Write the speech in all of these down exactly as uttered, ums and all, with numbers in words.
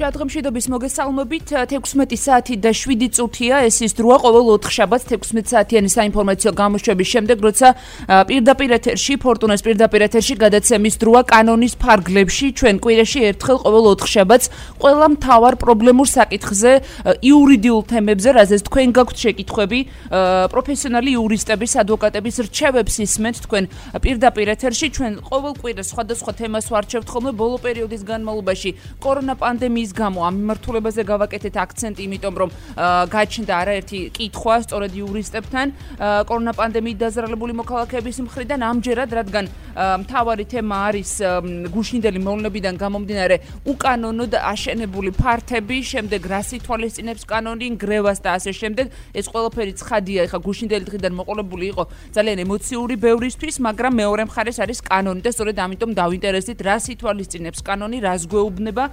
ჭადღმშიდობის მოგესალმებით. თექვსმეტი საათი და შვიდი წუთია, ეს ის დროა ყოველ ოთხშაბათს თექვსმეტ საათიანი საინფორმაციო გამოშვების შემდეგ, როცა პირდაპირ ეთერში, ფორტუნას პირდაპირ ეთერში გადაცემის დროა კანონის ფარგლებში, ჩვენ კვირაში ერთხელ ყოველ ოთხშაბათს ყველა მთავარ პრობლემურ საკითხზე, იურიდიულ თემებზე, რაზეც თქვენ გაქვთ შეკითხვები, პროფესიონალი იურისტების, ადვოკატების რჩევებს ისმენთ თქვენ პირდაპირ ეთერში, ჩვენ ყოველ კვირას სხვადასხვა თემას ვარჩევთ ხოლმე ბოლო პერიოდის განმავლობაში კორონა პანდემიის გამო ამ მიმართულებაზე გავაკეთეთ აქცენტი, იმიტომ რომ გაჩნდა არაერთი კითხვა სწორედ იურისტებთან კორონა პანდემიით დაზარალებული მოქალაქეების მხრიდან, ამჯერად რადგან მთავარი თემა არის გუშინდელი მოვლენებიდან გამომდინარე უკანონოდ აშენებული ფართები, შემდეგ რას ითვალისწინებს კანონი, გრევას და ასე შემდეგ. ეს ყველაფერი ცხადია, ეხა გუშინდელი დღიდან მოყოლებული იყო ძალიან ემოციური ბევრისთვის, მაგრამ მეორე მხარეს არის კანონი და სწორედ ამიტომ დავინტერესდით, რას ითვალისწინებს კანონი, რას გვეუბნება.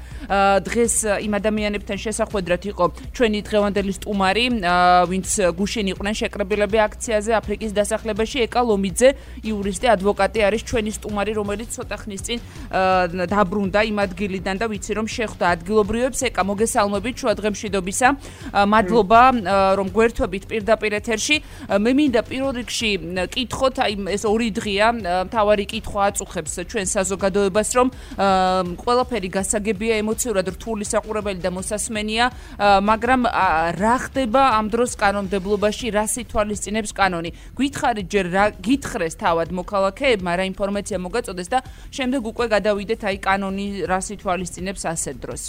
დღეს იმ ადამიანებთან შესახვედრად იყო ჩვენი დღევანდელი სტუმარი, ვინც გუშინ იყვნენ შეკრებილები აქციაზე აფრიკის დასახლებაში, ეკა ლომიძე, იურისტი, ადვოკატი არის ჩვენი სტუმარი, რომელიც ცოტა ხნის წინ დაბრუნდა იმ ადგილიდან და ვიცი რომ შეხვდა ადგილობრივებს. ეკა, მოგესალმებით შუადღემშვიდობისა. მადლობა რომ გვერთვებით პირდაპირ ეთერში. მე მინდა პირველ რიგში კითხოთ, აი ეს ორი დღეა მთავარი კითხვა აწუხებს ჩვენ საზოგადოებას, რომ ყველაფერი გასაგებია, ემოციურად რთული საყურებელი და მოსასმენია, მაგრამ რა ხდება ამ დროს კანონმდებლობაში, რას ითვალისწინებს კანონი? გითხარით ჯერ რა გითხრეს თავად მოქალაქეებმა, რა ინფორმაცია მოგაწოდეს და შემდეგ უკვე გადავიდეთ აი კანონი რას ითვალისწინებს ასეთ დროს.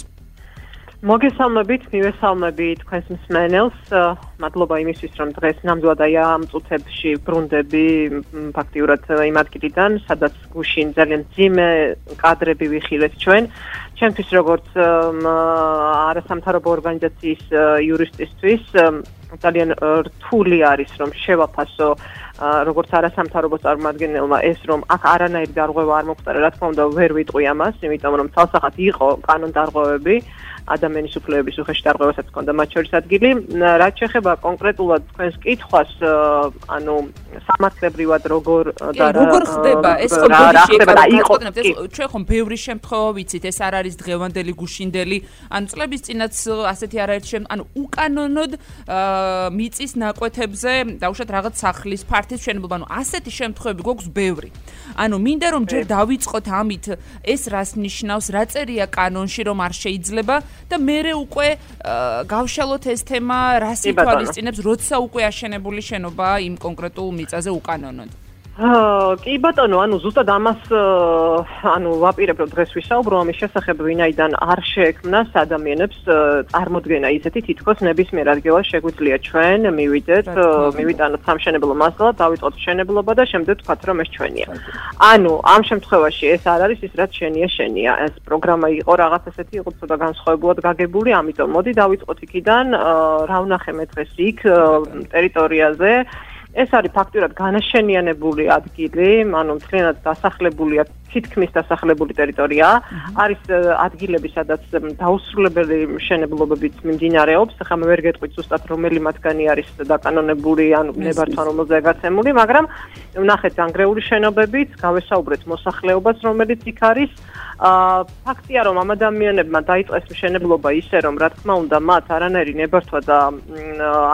მოგესალმებით, მივესალმები თქვენს მსმენელს. მადლობა იმისთვის, რომ დღეს ნამდვილად აი ამ წუთებში ბრუნდები ფაქტიურად იმ ადგილიდან, სადაც გუშინ ძალიან მძიმე კადრები ვიხილეთ ჩვენ. ჩემთვის როგორც არასამთავრობო ორგანიზაციის იურისტისთვის ძალიან რთული არის, რომ შევაფასო როგორც არასამთავრობო წარმომადგენელმა ეს, რომ აქ არანაირი დარღვევა არ მოხდა, რა თქმა უნდა ვერ ვიტყვი ამას, იმიტომ რომ ცალსახად იყო კანონდარღვევები, ადამიანის უფლებების უხეში დარღვევასაც ჰქონდა მათ შორის ადგილი. რაც შეეხება კონკრეტულად თქვენს კითხვას, ანუ სამართლებრივად როგორ და როგორ ხდება ეს ხო ჩვენ ხომ ბევრი შემთხვევა ვიცით, ეს არ არის დღევანდელი გუშინდელი, ანუ წლების წინაც ასეთი არაერთი შემთხვევა, ანუ უკანონოდ მიწის ნაკვეთებზე დაუშვათ რაღაც სახლის ფართის მშენებლობა, ანუ ასეთი შემთხვევები გვაქვს ბევრი. ანუ მინდა რომ ჯერ დავიწყოთ ამით, ეს რას ნიშნავს, რა წერია კანონში, რომ არ შეიძლება და მერე უკვე გავშალოთ ეს თემა, რას ითვალისწინებს, როცა უკვე აშენებული შენობა იმ კონკრეტულ მიწაზე უკანონოდ. კი ბატონო, ანუ ზუსტად ამას ანუ ვაპირებ რომ დღეს ვისაუბრო ამის შესახებ, ვინაიდან არ შეექმნას ადამიანებს წარმოდგენა ისეთი, თითქოს ნებისმიერ ადგილას შეგვიძლია ჩვენ მივიდეთ, მივიტანოთ სამშენებლო მასალა, დავიწყოთ მშენებლობა და შემდეგ ვთქვათ რომ ეს ჩვენია. ანუ ამ შემთხვევაში ეს არ არის ის, რაც შენია შენია. ეს პროგრამა იყო რაღაც ესეთი, იყო ცოტა განსხვავებულად გაგებული, ამიტომ მოდი დავიწყოთ იქიდან, რა ვნახე მე დღეს იქ ტერიტორიაზე. ეს არის ფაქტურად განაშენიანებული ადგილი, ანუ მთლიანად დასახლებულია, თითქმის დასახლებული ტერიტორია. არის ადგილები, სადაც დაუსრულებელი მშენებლობებიც მიმდინარეობს. ახლა მე ვერ გეტყვით ზუსტად რომელი მათგანი არის დაკანონებული, ანუ ნებართვა რომელზეა გაცემული, მაგრამ ვნახეთ ანგრეული შენობებიც, გავესაუბრეთ მოსახლეობას, რომელიც იქ არის. ფაქტია, რომ ამ ადამიანებმა დაიწყეს მშენებლობა ისე, რომ რა თქმა უნდა მათ არანაირი ნებართვა და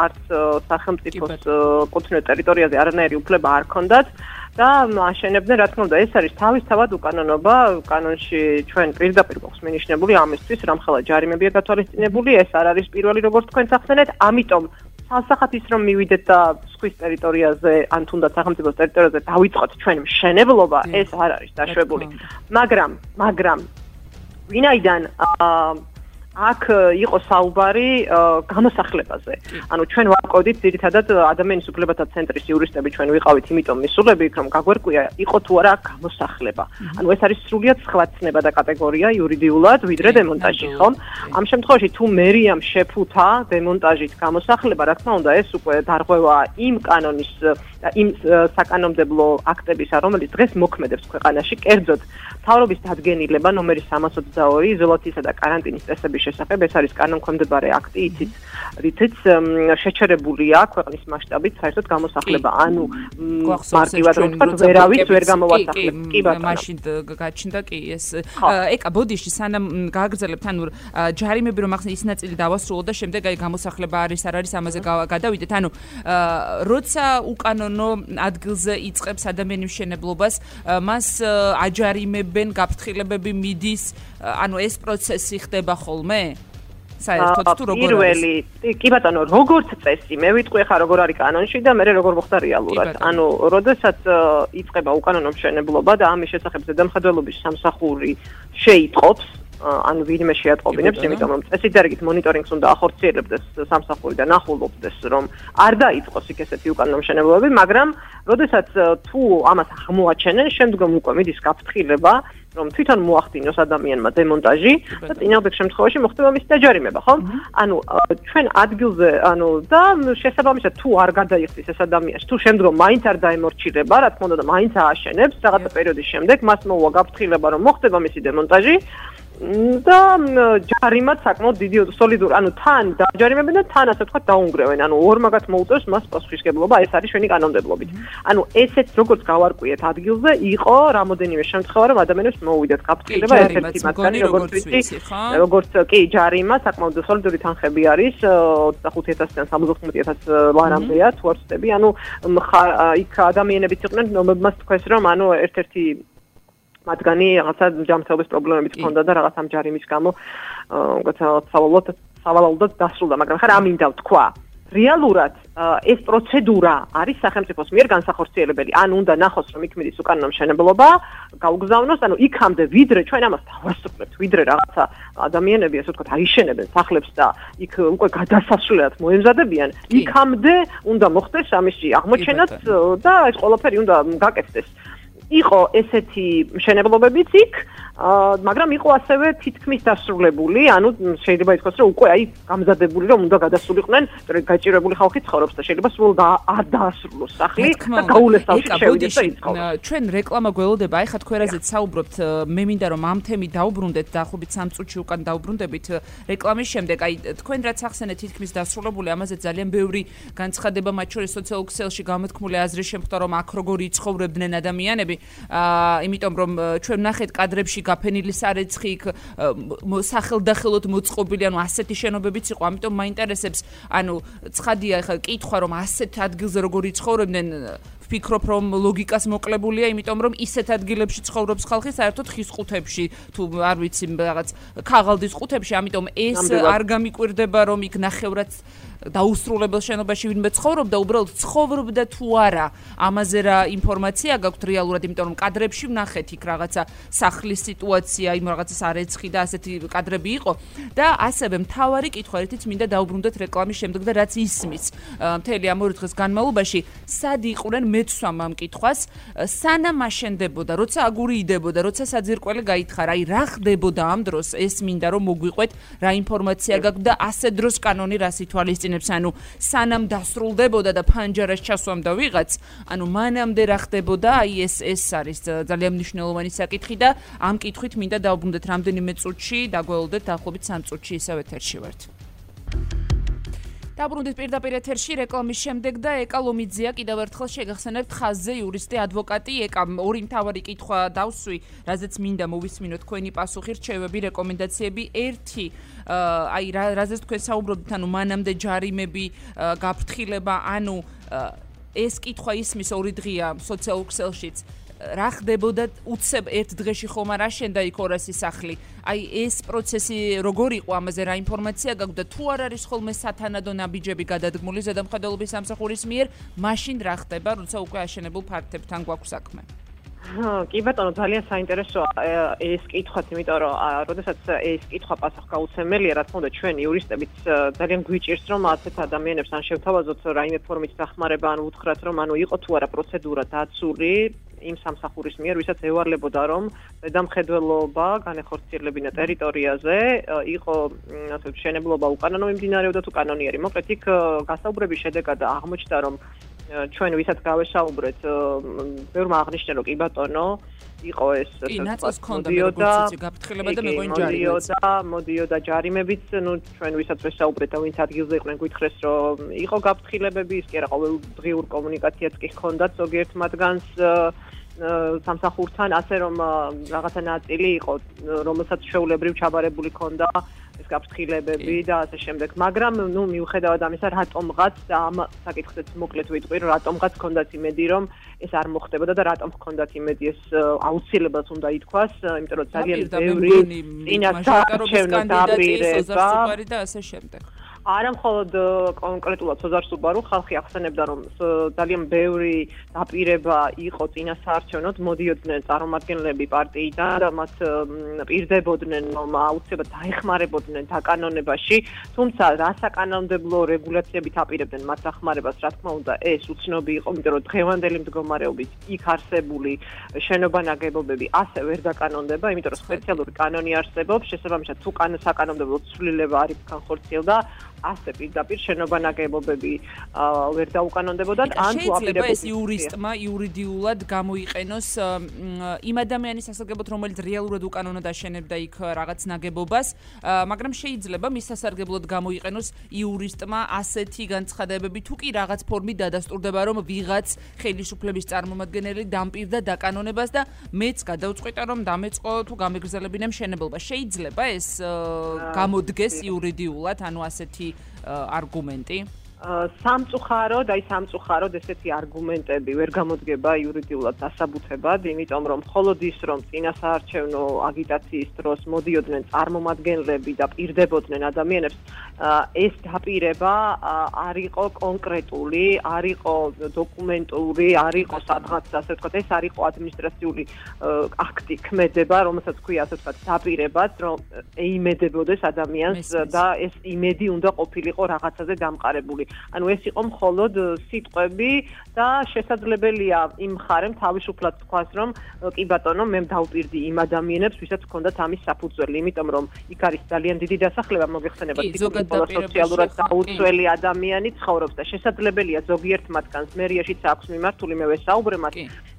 არც სახელმწიფოს კუთვნილ ტერიტორიაზე არანაირი უფლება არ ჰქონდათ და აშენებდნენ, რა თქმა უნდა, ეს არის თავისთავად უკანონობა, კანონში ჩვენ პირდაპირ გვაქვს მინიშნებული ამისთვის, რამხელა ჯარიმებია გათვალისწინებული, ეს არ არის პირველი როგორც თქვენ ახსენეთ, ამიტომ ცალსახად ის რომ მივიდეთ და სხვის ტერიტორიაზე, ან თუნდაც სახელმწიფოს ტერიტორიაზე დავიწყოთ ჩვენ მშენებლობა, ეს არ არის დაშვებული. მაგრამ, მაგრამ ვინაიდან აქ იყო საუბარი გამოსახლებაზე. ანუ ჩვენ ვაკოდით ძირითადად ადამიანის უფლებათა ცენტრის იურისტები ჩვენ ვიყავით, იმიტომ მისულები, რომ გაგვერკვია იყო თუ არა გამოსახლება. ანუ ეს არის სრულიად სხვა ცნება და კატეგორია იურიდიულად, ვიდრე დემონტაჟი, ხომ? ამ შემთხვევაში თუ მერიამ შეფუთა დემონტაჟით გამოსახლება, რა თქმა უნდა, ეს უკვე დარღვევა იმ კანონის და იმ საკანონმდებლო აქტებისა, რომელიც დღეს მოქმედებს ქვეყანაში, კერძოდ მთავრობის დადგენილება ნომერი სამას ოცდაორი იზოლაციისა და კარანტინის წესების შესახებ, ეს არის კანონქვემდებარე აქტი, იცით, რითიც შეჩერებულია ქვეყნის მასშტაბით საერთოდ გამოსახლება, ანუ მარტივად რომ ვთქვათ, ვერავის ვერ გამოვასახლებს. კი ბატონო. მაშინ გაჩნდა კი ეს. ეკა ბოდიში სანამ გააგრძელებთ, ანუ ჯარიმები რომ ახსნა ის ნაწილი დავასრულოთ და შემდეგ აი გამოსახლება არის არ არის ამაზე გადავიდეთ. ანუ როცა უკანონო ადგილზე იწყებს ადამიანი მშენებლობას, მას აჯარიმებენ, გაფრთხილებები მიდის, ანუ ეს პროცესი ხდება ხოლმე? საერთოდ თუ როგორ არის? პირველი, კი ბატონო, როგორც წესი, მე ვიტყვი ხა როგორ არის კანონში და მე როგორ მოხდა რეალურად. ანუ, როდესაც იწყება უკანონო მშენებლობა და ამის შესახებ ზედამხედველობის სამსახური შეიტყობს, ანუ ვინმე შეატყობინებს, იმიტომ რომ წესით დარგით მონიტორინგს უნდა ახორციელებდეს სამსახური და ნახულობდეს, რომ არ დაიწყოს იქ ესეთი უკანონო მშენებლობები, მაგრამ როდესაც თუ ამას აღმოაჩენენ, შემდგომ უკვე მიდის გაფრთხილება, რომ თვითონ მოახდინოს ადამიანმა დემონტაჟი და წინააღმდეგ შემთხვევაში მოხდება მისი დაჯარიმება, ხო? ანუ ჩვენ ადგილზე, ანუ და შესაბამისად თუ არ გადაიხდის ეს ადამიანი, თუ შემდგომ მაინც არ დაემორჩილება, რა თქმა უნდა და მაინც ააშენებს რაღაცა პერიოდის შემდეგ, მას მოუვა გაფრთხილება, რომ მოხდება მისი დემონტაჟი და ჯარიმად საკმაოდ დიდი სოლიდური, ანუ თან დაჯარიმებენ და თან ასე ვთქვათ დაუნგრევენ, ანუ ორმაგად მოუწევს მას პასუხისმგებლობა, ეს არის ჩვენი კანონმდებლობით. ანუ ესეც როგორც გავარკვიეთ ადგილზე, იყო რამოდენიმე შემთხვევა, რომ ადამიანებს მოუვიდათ გაფრთხილება, ერთ-ერთი მათგანი როგორც ვიცი, როგორც კი ჯარიმა, საკმაოდ სოლიდური თანხები არის, ოცდახუთი ათასიდან სამოცდახუთი ათას ლარამდეა, თუ არ ვცდები, ანუ იქ ადამიანებიც იყვნენ, რომლებმაც თქვეს, რომ ანუ ერთ-ერთი მათგანი რაღაცა ჯანმრთელობის პრობლემებიც ჰქონდა და რაღაც ამ ჯარიმის გამო სავალალოდ სავალალოდ დასრულდა, მაგრამ ხარ ამინდა ვთქვა. რეალურად ეს პროცედურა არის სახელმწიფოს მიერ განსახორციელებელი. ან უნდა ნახოს, რომ იქ მიდის უკანონო მშენებლობა, გაუგზავნოს, ანუ იქამდე ვიდრე ჩვენ ამას დავასრულებთ, ვიდრე რაღაცა ადამიანები, ასე ვთქვათ, აიშენებენ სახლებს და იქ უკვე გადასასვლელად მოემზადებიან, იქამდე უნდა მოხდეს ამისი აღმოჩენაც და ეს ყველაფერი უნდა გაკეთდეს. იყო ესეთი მშენებლობებიც იქ, მაგრამ იყო ასევე თითქმის დასრულებული, ანუ შეიძლება ითქვას, რომ უკვე აი გამზადებული, რომ უნდა გადასულიყვნენ, გაჭირებული ხალხი ცხოვრობს და შეიძლება სულ არ დაასრულოს სახლი და გაულესავში შევიდეს და იცხოვროს. ჩვენ რეკლამა გველოდება, აი ხა თქვენ რაზეც საუბრობთ, მე მინდა რომ ამ თემით დაუბრუნდეთ, დაახლოებით სამ წუთში უკან დაუბრუნდებით რეკლამის შემდეგ, აი თქვენ რაც ახსენეთ თითქმის დასრულებული, ამაზე ძალიან ბევრი განცხადება, მათ შორის სოციალურ ქსელში გამოთქმული აზრი შემხვდა, რომ აქ როგორი იცხოვრებდნენ ადამიანები. აა იმიტომ რომ ჩვენ ნახეთ კადრებში გაფენილი სარეცხი იქ სახელდახელოდ მოწყობილი, ანუ ასეთი შენობებიც იყო, ამიტომ მაინტერესებს, ანუ ცხადია ხა კითხვა რომ ასეთ ადგილზე როგორი ცხოვრობდნენ, ვფიქრობ რომ ლოგიკას მოკლებულია, იმიტომ რომ ისეთ ადგილებში ცხოვრობს ხალხი საერთოდ ხის ყუთებში, თუ არ ვიცი რაღაც ქაღალდის ყუთებში, ამიტომ ეს არ გამიკვირდება რომ იქ ნახევრად დაუსრულებელ შენობაში ვინმე ცხოვრობდა, უბრალოდ ცხოვრობდა თუ არა, ამაზე რა ინფორმაცია გაქვთ რეალურად, იმიტომ რომ კადრებში ვნახეთ იქ რაღაცა სახლის სიტუაცია, იმ რაღაცა სარეცხი და ასეთი კადრები იყო და ასევე მთავარი კითხვა, ერთიც მინდა დაუბრუნდეთ რეკლამის შემდეგ და რაც ისმის მთელი ამ ორი დღის განმავლობაში, სად იყვნენ მეცვამ ამ კითხვას, სანამ აშენდებოდა, როცა აგური იდებოდა, როცა საძირკველი გაითხარა, აი რა ხდებოდა ამ დროს, ეს მინდა რომ მოგვიყვეთ, რა ინფორმაცია გაქვთ და ასე დროს კანონი რას ითვალისწინებს, ანუ სანამ დასრულდებოდა და ფანჯარას ჩასვამდა ვიღაც, ანუ მანამდე რა ხდებოდა, აი ეს ეს არის ძალიან მნიშვნელოვანი საკითხი და ამ კითხვით მინდა დავუბრუნდეთ რამდენიმე წუთში, დაგველოდეთ დაახლოებით სამ წუთში ისევ ეთერში ვართ. დაბრუნდით პირდაპირ ეთერში რეკლამის შემდეგ და ეკა ლომიძია კიდევ ერთხელ შეგახსენებთ ხაზზე იურისტი ადვოკატი ეკა ორი მთავარი კითხვა დავსვი, რაზეც მინდა მოვისმინოთ თქვენი პასუხი, რჩევები, რეკომენდაციები. ერთი, აი რაზეც თქვენ საუბრობთ, ანუ მანამდე ჯარიმები, გაფრთხილება, ანუ ეს კითხვა ისმის ორი დღეა სოციალურ ქსელშიც. რა ხდებოდა უცებ ერთ დღეში ხომ არ აშენდა იქ ორასი სახლი. აი ეს პროცესი როგორ იყო, ამაზე რა ინფორმაცია გაქვთ და თუ არ არის ხოლმე სათანადო ნაბიჯები გადადგმული ზედამხედველობის სამსახურის მიერ, მაშინ რა ხდება, როცა უკვე აშენებულ ფაქტებთან გვაქვს საქმე? კი ბატონო, ძალიან საინტერესოა ეს კითხვაც, იმიტომ რომ როდესაც ეს კითხვა პასუხგაუცემელია, რა თქმა უნდა, ჩვენ იურისტებიც ძალიან გვიჭირს, რომ ასეთ ადამიანებს ან შევთავაზოთ რაიმე ფორმით დახმარება, ან უთხრათ, რომ ანუ იყო თუ არა პროცედურა დაცული იმ სამსახურის მიერ, ვისაც ევარლებოდა, რომ ზედამხედველობა განეხორციელებინა ტერიტორიაზე, იყო ასე ვთქვათ, მშენებლობა უკანონო მიმდინარეობდა თუ კანონიერი. მოკლედ იქ გასაუბრების შედეგად აღმოჩნდა, რომ ჩვენ ვისაც გავესაუბრეთ, ბევრმა აღნიშნა, რომ კი ბატონო, იყო ეს კი, ნაწილს ქონდა მეგობრიცი გაფრთხილება და მეღვინ ჯარიმებიც. მოდიოდა, მოდიოდა ჯარიმებიც, ნუ ჩვენ ვისაც ვესაუბრეთ და ვინც ადგილზე იყვნენ, გითხრეს, რომ იყო გაფრთხილებები, ის კი არა, ყოველდღიურ კომუნიკაციაც კი ჰქონდათ ზოგიერთ მათგანს სამსახურთან, ასე რომ რაღაცა ნაწილი იყო, რომელსაც შეულებრივ ჩაბარებული ქონდა ეს გაფრთხილებები და ასე შემდეგ. მაგრამ ნუ მიუხედავად ამისა, რატომღაც და ამ საკითხზეც მოკლედ ვიტყვი, რომ რატომღაც ჰქონდათ იმედი, რომ ეს არ მოხდებოდა და რატომ ჰქონდათ იმედი, ეს აუცილებლად უნდა ითქვას, იმიტომ რომ ძალიან ბევრი წინასაარჩევნო დაპირება და ასე შემდეგ. არა მხოლოდ კონკრეტულად სოზარ სუბარუ, ხალხი ახსენებდა, რომ ძალიან ბევრი დაპირება იყო წინასაარჩევნოდ, მოდიოდნენ წარმომადგენლები პარტიიდან და მათ პირდებოდნენ, რომ აუცილებლად დაეხმარებოდნენ დაკანონებაში, თუმცა რა საკანონმდებლო რეგულაციებით აპირებდნენ მათ დახმარებას, რა თქმა უნდა, ეს უცნობი იყო, იმიტომ რომ დღევანდელი მდგომარეობით იქ არსებული შენობა-ნაგებობები ასე ვერ დაკანონდება, იმიტომ რომ სპეციალური კანონი არსებობს, შესაბამისად თუ საკანონმდებლო ცვლილება არ იქ განხორციელდა, ასე პირდაპირ შენობა-ნაგებობები ვერ დაუკანონდებოდათ, ან თუ აპირებდა ეს იურისტმა იურიდიულად გამოიყენოს იმ ადამიანის სასარგებლოდ, რომელიც რეალურად უკანონოდ აშენებდა იქ რაღაც ნაგებობას, მაგრამ შეიძლება მის სასარგებლოდ გამოიყენოს იურისტმა ასეთი განცხადებები, თუ კი რაღაც ფორმით დადასტურდება, რომ ვიღაც ხელისუფლების წარმომადგენელი დამპირდა დაკანონებას და მეც გადავწყვიტა, რომ დამეწყო თუ გამეგრძელებინა მშენებლობა. შეიძლება ეს გამოდგეს იურიდიულად, ანუ ასეთი არგუმენტი? სამწუხაროდ, აი სამწუხაროდ ესეთი არგუმენტები ვერ გამოდგება იურიდიულად დასაბუთებად, იმიტომ რომ მხოლოდ ის, რომ წინასაარჩევნო აგიტაციის დროს მოდიოდნენ წარმომადგენლები და პირდებოდნენ ადამიანებს, ეს დაპირება არ იყო კონკრეტული, არ იყო დოკუმენტური, არ იყო სადღაც, ასე ვთქვათ, ეს არ იყო ადმინისტრაციული აქტი ქმედება, რომელსაც ქვია, ასე ვთქვათ, დაპირებაც, რომ ეიმედებოდეს ადამიანს და ეს იმედი უნდა ყოფილიყო რაღაცაზე დამყარებული. ანუ ეს იყო მხოლოდ სიტყვები და შესაძლებელია იმ მხარემ თავისუფლად თქვას, რომ კი ბატონო, მე დავპირდი იმ ადამიანებს, ვისაც ჰქონდათ ამის საფუძველი, იმიტომ რომ იქ არის ძალიან დიდი დასახლება, მოგეხსენებათ, სოციალურად დაუცველი ადამიანი ცხოვრობს და შესაძლებელია ზოგიერთ მათგანს მერიაშიც აქვს მიმართული, მე ვესაუბრე მათ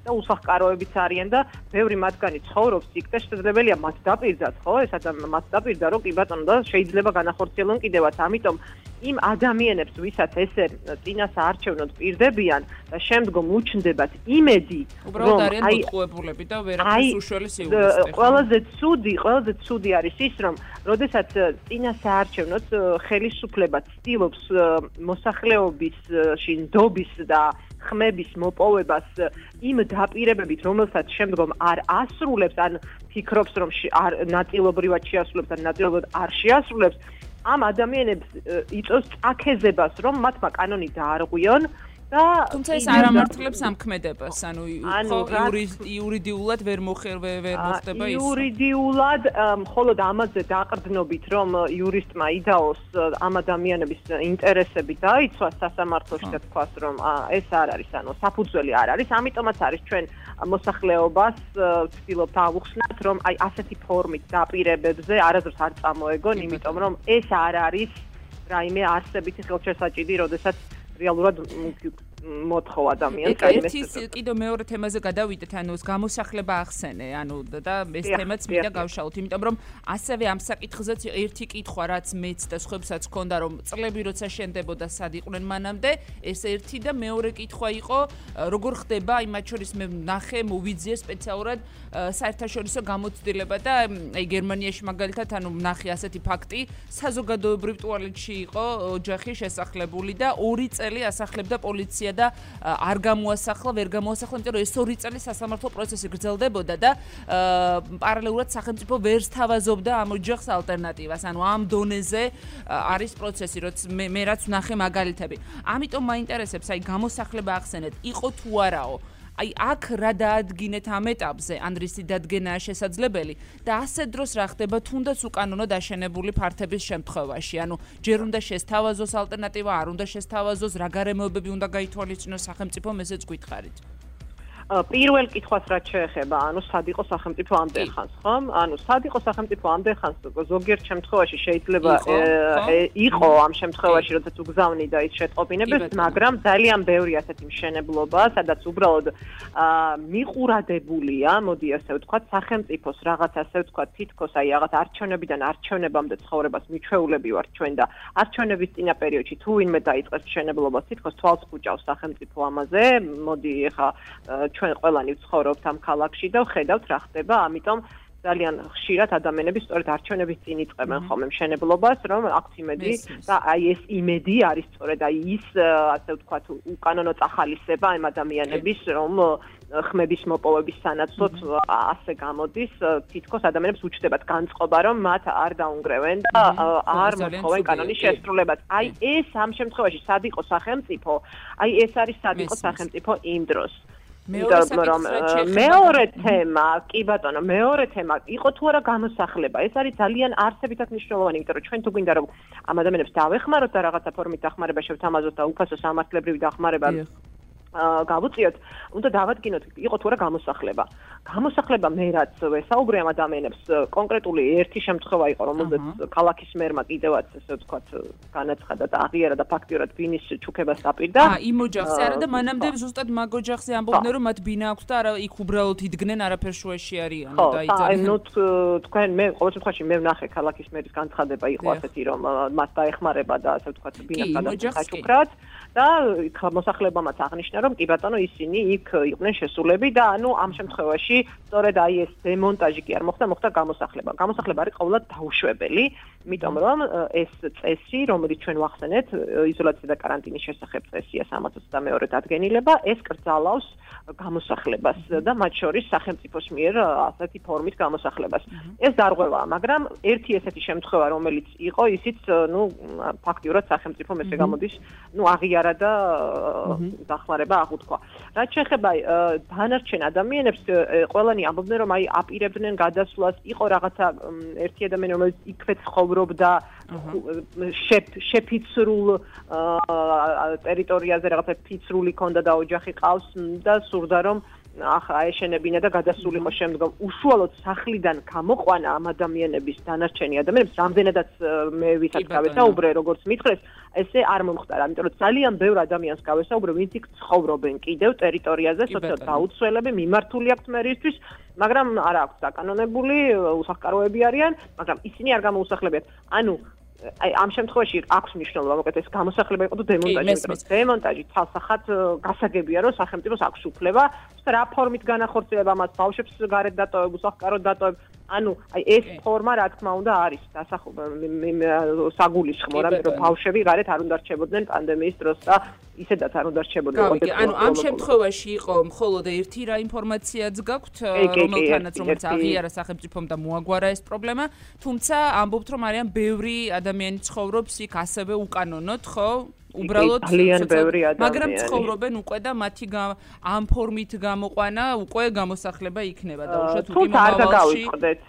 და უსახკაროებიც არიან და ბევრი მათგანი ცხოვრობს იქ და შესაძლებელია მათ დაპირდათ, ხო? ეს ადამიანი მათ დაპირდა, რომ კი ბატონო და შეიძლება განახორციელონ კიდევაც, ამიტომ იმ ადამიანებს, ვისაც ესე წინასაარჩევნოდ პირდებიან და შემდგომ უჩნდებათ იმედი, რომ არიან მოტყუებულები და ვერაფერს უშველის იურისტი. ყველაზე ცუდი, ყველაზე ცუდი არის ის, რომ როდესაც წინასაარჩევნოდ ხელისუფლება ცდილობს მოსახლეობისში ნდობის და ხმების მოპოვებას იმ დაპირებებით, რომელსაც შემდგომ არ ასრულებს, ან ფიქრობს, რომ ნაწილობრივად შეასრულებს, ან ნაწილობრივად არ შეასრულებს, ამ ადამიანებს იწვევს წაქეზებას, რომ მათმა კანონი დაარღვიონ და თუმცა ეს არ ამართლებს ამ ქმედებას, ანუ იურიდიულად ვერ მოხერვე ვერ მოხდება ის. იურიდიულად მხოლოდ ამაზე დაყრდნობით, რომ იურისტმა იდაოს ამ ადამიანების ინტერესები დაიცვას სასამართლოში და თქვას, რომ ეს არ არის, ანუ საფუძველი არ არის, ამიტომაც არის ჩვენ მოსახლეობას ვცდილობთ ავუხსნათ, რომ აი ასეთი ფორმით დაპირებებზე არასდროს არ წამოეგონ, იმიტომ რომ ეს არ არის რაიმე არსებითი ხელშესაჭიდი, როდესაც რეალურად მოთხოვ ადამიანს. ეკა ერთი კიდევ მეორე თემაზე გადავიდეთ, ანუ ეს გამოსახლება ახსენე, ანუ და ეს თემაც მინდა გავშალოთ, იმიტომ რომ ასევე ამ საკითხზეც ერთი კითხვა, რაც მეც და სხვებსაც ჰქონდა, რომ წლები როცა შენდებოდა სად იყვნენ მანამდე, ეს ერთი და მეორე კითხვა იყო, როგორ ხდება, აი მათ შორის მე ნახე, მოვიძიე სპეციალურად საერთაშორისო გამოცდილება და აი გერმანიაში მაგალითად, ანუ ნახე ასეთი ფაქტი, საზოგადოებრივ ტუალეტში იყო ოჯახი შესახლებული და ორი წელი ასახლებდა პოლიცია და არ გამოასახლა, ვერ გამოასახლა, იმიტომ რომ ეს ორი წელი სასამართლო პროცესი გრძელდებოდა და პარალელურად სახელმწიფო ვერ სთავაზობდა ამ ოჯახს ალტერნატივას. ანუ ამ დონეზე არის პროცესი, როცა მე მე რაც ვნახე მაგალითები. ამიტომ მაინტერესებს, აი გამოსახლება ახსენეთ, იყო თუ არაო? აი აქ რა დაადგინეთ ამ ეტაპზე, ან რისი დადგენაა შესაძლებელი და ასე დროს რა ხდება თუნდაც უკანონოდ აშენებული ფართების შემთხვევაში, ანუ ჯერ უნდა შესთავაზოს ალტერნატივა, არ უნდა შესთავაზოს, რა გარემოებები უნდა გაითვალისწინოს სახელმწიფომ, ესეც გვითხარით. პირველ კითხვას რაც შეეხება, ანუ სად იყო სახელმწიფო ამდენ ხანს, ხომ? ანუ სად იყო სახელმწიფო ამდენ ხანს, ზოგიერთ შემთხვევაში შეიძლება იყო ამ შემთხვევაში, როდესაც უგზავნიდა ის შეტყობინებას, მაგრამ ძალიან ბევრი ასეთი მშენებლობა, სადაც უბრალოდ მიყურადებულია, მოდი ასე ვთქვათ, სახელმწიფოს რაღაც ასე ვთქვათ, თითქოს აი რაღაც არჩევნებიდან არჩევნებამდე ცხოვრებას მიჩვეულები ვართ ჩვენ და არჩევნების წინა პერიოდში თუ ვინმე დაიწყეს მშენებლობას, თითქოს თვალს კუჭავს სახელმწიფო ამაზე, მოდი ეხა ჩვენ ყველანი ვცხოვრობთ ამ ქალაქში და ვხედავთ რა ხდება, ამიტომ ძალიან ხშირად ადამიანები სწორედ არჩევნების წინ იწყებენ ხოლმე მშენებლობას, რომ აქვს იმედი და აი ეს იმედი არის სწორედ აი ის ასე ვთქვათ უკანონო წახალისება ამ ადამიანების, რომ ხმების მოპოვების სანაცვლოდ ასე გამოდის, თითქოს ადამიანებს უჩნდებათ განწყობა, რომ მათ არ დაუნგრევენ და არ მოთხოვენ კანონის შესრულებას. აი ეს ამ შემთხვევაში სად იყო სახელმწიფო, აი ეს არის სად იყო სახელმწიფო იმ დროს. მეორე თემა, კი ბატონო, მეორე თემა იყო თუ არა გამოსახლება. ეს არის ძალიან არსებითად მნიშვნელოვანი, იმიტომ რომ ჩვენ თუ გვინდა რომ ამ ადამიანებს დავეხმაროთ და რაღაცა ფორმით დახმარება შევთამაზოთ და უფასო სამართლებრივი დახმარება გავუწიოთ, უნდა დავადგინოთ, იყო თუ არა გამოსახლება. გამოსახლება მე რაც ვესაუბრე ამ ადამიანებს, კონკრეტული ერთი შემთხვევა იყო, რომელზეც ქალაქის მერმა კიდევაც ესე ვთქვათ, განაცხადა და აღიარა და ფაქტიურად ბინის ჩუქებას დაპირდა. აა, იმ ოჯახზე არა და მანამდე ზუსტად მაგ ოჯახზე ამბობდნენ, რომ მათ ბინა აქვს და არა იქ უბრალოდ იდგნენ, არაფერ შუაში არიან და იძახენ. ხო, ნუ თქვენ მე ყოველ შემთხვევაში მე ვნახე ქალაქის მერის განცხადება იყო ასეთი, რომ მას დაეხმარება და ასე ვთქვათ, ბინას გადაჭუქრათ და მოსახლებამაც აღნიშნა რომ კი ბატონო ისინი იქ იყვნენ შესულები და ანუ ამ შემთხვევაში სწორედ აი ეს დემონტაჟი კი არ მოხდა, მოხდა გამოსახლება. გამოსახლება არის ყოველად დაუშვებელი, იმიტომ რომ ეს წესი, რომელიც ჩვენ ვახსენეთ, იზოლაცია და კარანტინის შესახებ წესია სამას ოცდამეორე დადგენილება, ეს კრძალავს გამოსახლებას და მათ შორის სახელმწიფოს მიერ ასეთი ფორმით გამოსახლებას. ეს დარღვევაა, მაგრამ ერთი ესეთი შემთხვევა, რომელიც იყო, ისიც, ну, ფაქტიურად სახელმწიფომ ესე გამოდის, ну, აღიარა და დახმარება აღუთქვა. რაც შეეხება დანარჩენ ადამიანებს, ყველანი ამბობდნენ, რომ აი აპირებდნენ გადასვლას, იყო რაღაცა ერთი ადამიანი, რომელიც იქვე ცხოვრობდა შეფიცრულ ტერიტორიაზე, რაღაცა ფიცრული ქონდა და ოჯახი ყავს და სურდა რომ ახლა აეშენებინა და გადასულიყო შემდგომ. უშუალოდ სახლიდან გამოყვანა ამ ადამიანების დანარჩენი ადამიანებს, რამდენადაც მე ვისაც გავესაუბრე, როგორც მითხრეს, ესე არ მომხდარა, იმიტომ რომ ძალიან ბევრ ადამიანს გავესაუბრე, ვინც იქ ცხოვრობენ კიდევ ტერიტორიაზე, სოციალურად დაუცველები, მიმართული აქვთ მერისთვის, მაგრამ არ აქვს დაკანონებული, უსახკაროები არიან, მაგრამ ისინი არ გამოუსახლებიათ. ანუ აი ამ შემთხვევაში აქვს მნიშვნელობა, მოკეთ ეს გამოსახლება იყო თუ დემონტაჟი, იმიტომ რომ დემონტაჟი თალსახად გასაგებია, რომ სახელმწიფოს აქვს უფლება რა ფორმით განახორციელება მას, ბავშვებს გარეთ დატოვებ, უსახკაროდ დატოვებ. ანუ აი ეს ფორმა რა თქმა უნდა არის საგულისხმო, რომ ბავშვები გარეთ არ უნდა რჩებოდნენ პანდემიის დროს და ისედაც არ უნდა რჩებოდნენ. ანუ ამ შემთხვევაში იყო მხოლოდ ერთი რა ინფორმაციაც გაქვთ, რომელთანაც რომელიც აღიარა სახელმწიფომ და მოაგვარა ეს პრობლემა, თუმცა ამბობთ რომ არიან ბევრი ადამიანი ცხოვრობს იქ ასევე უკანონოდ, ხო? უბრალოდ ძალიან ბევრი ადამიანი. მაგრამ ცხოვრობენ უკვე და მათი ამ ფორმით გამოყვანა უკვე გამოსახლება იქნება და უშუალოდ თუ არ გადავიწყდეთ,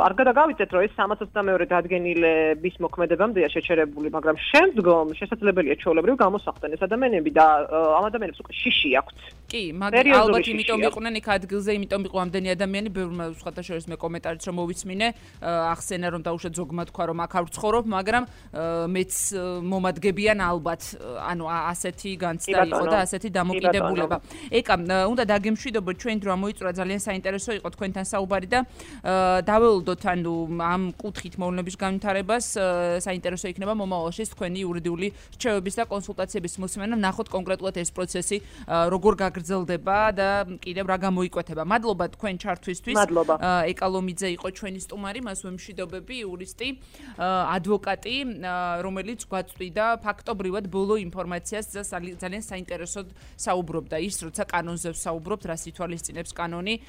არ გადავიწყდეთ, რომ ეს სამას ოცდამეორე დადგენილების მოქმედებამდეა შეჩერებული, მაგრამ შემდგომ შესაძლებელია ჩვეულებრივ გამოსახლდნენ ეს ადამიანები და ამ ადამიანებს უკვე შიში აქვთ. კი, მაგრამ ალბათ იმიტომ იყვნენ იქ ადგილზე, იმიტომ იყო ამდენი ადამიანი, ბევრმა სხვათა შორის მე კომენტარიც რომ მოვისმინე, ახსენა რომ დაუშვათ ზოგმა თქვა რომ აქ არ ვცხოვრობ, მაგრამ მეც მომადგებიან ალბათ ანუ ასეთი განცდა იყო და ასეთი დამოკიდებულება. ეკა, უნდა დაგემშვიდობოთ, ჩვენ დრო მოიწურა ძალიან საინტერესო იყო თქვენთან საუბარი და დაველოდოთ ანუ ამ კუთხით მოვლენების განვითარებას, საინტერესო იქნება მომავალში თქვენი იურიდიული რჩევების და კონსულტაციების მოსმენა, ნახოთ კონკრეტულად ეს პროცესი როგორ გაგრძელდება და კიდევ რა გამოიკვეთება. მადლობა თქვენ ჩართვისთვის. ეკალომიძე იყო ჩვენი სტუმარი, მას ვემშვიდობები, იურისტი, ადვოკატი, რომელიც გვაწვდიდა ფაქტობრივად ბოლო ინფორმაციას და ძალიან საინტერესოდ საუბრობდა ის, როცა კანონზე საუბრობთ, რა სითვალისწინებს კანონი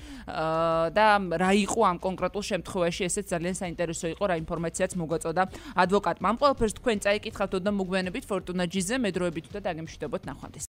და რა იყო ამ კონკრეტულ შემთხვევაში, ესეც ძალიან საინტერესო იყო, რა ინფორმაციაც მოგვაწოდა ადვოკატმა. ამ ყველაფერს თქვენ წაიკითხავთ და მოგვიანებით ფორტუნა ჯიზე, მე დროებით უნდა დაგემშვიდობოთ ნახვამდის.